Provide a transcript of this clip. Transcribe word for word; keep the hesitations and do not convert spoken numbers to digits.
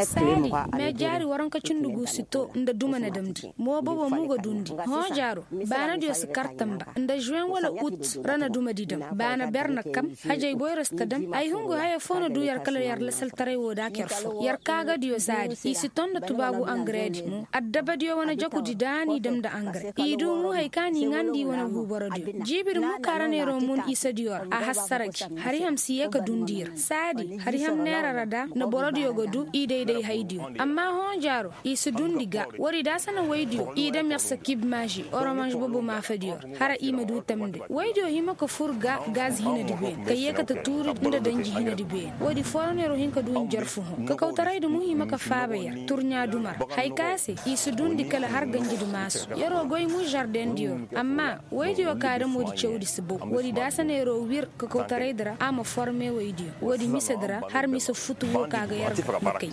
Saadi meejaari waranka cindi gu si to nda duma na damndi. Mo bobo mo ga dundi hõ jaaro. Baanadiyo si kar tamba nda žuweŋ wala ut ra na dumadi dam baana ber na kam. Hajay boyro si ta dam ay hungu haya foo na duu yer kala yer lasaltaray woo daak yer foo yer kaagadiyo saadi i si ton nda tubaagu angareedi mo addabadiyo wane jakudi daani dam nda angare i duu mo hay ka n'i ŋaandi wane guuborodiyo. Jiibidi mo kaaraneeroo mun isediyo ra a hassara gi hari ham si yee ka dundi ra saadi hari ham neera ra da na borodiyo ga duu i dayday haydiyo. Amma hõ jaaro i si dundi ga woodi daasa na woydiyo i dam yer sakib maaži oromanž bobo maafadiyo ra hara i ma duu tamndi woydiyo hima ka fur ga gaz hinadi been ka yee ka ta tuuri nda danji hinadi been woodi fooroneeroo hin ka duu njarfu hõ kakawtaraydi mo hima ka faaba yer turɲaa duma ra. Hay ka se i si dundi kala har ganjidi maasu yeroo goy mo žardendiyo ra amma woydiyo ka dam woodi cawdi si bow woodi daasa na yeroo wir kakawtaraydi ra a ma forme woydiyo woodi misedi ra har mise futu woo ka ga yer ga na kay.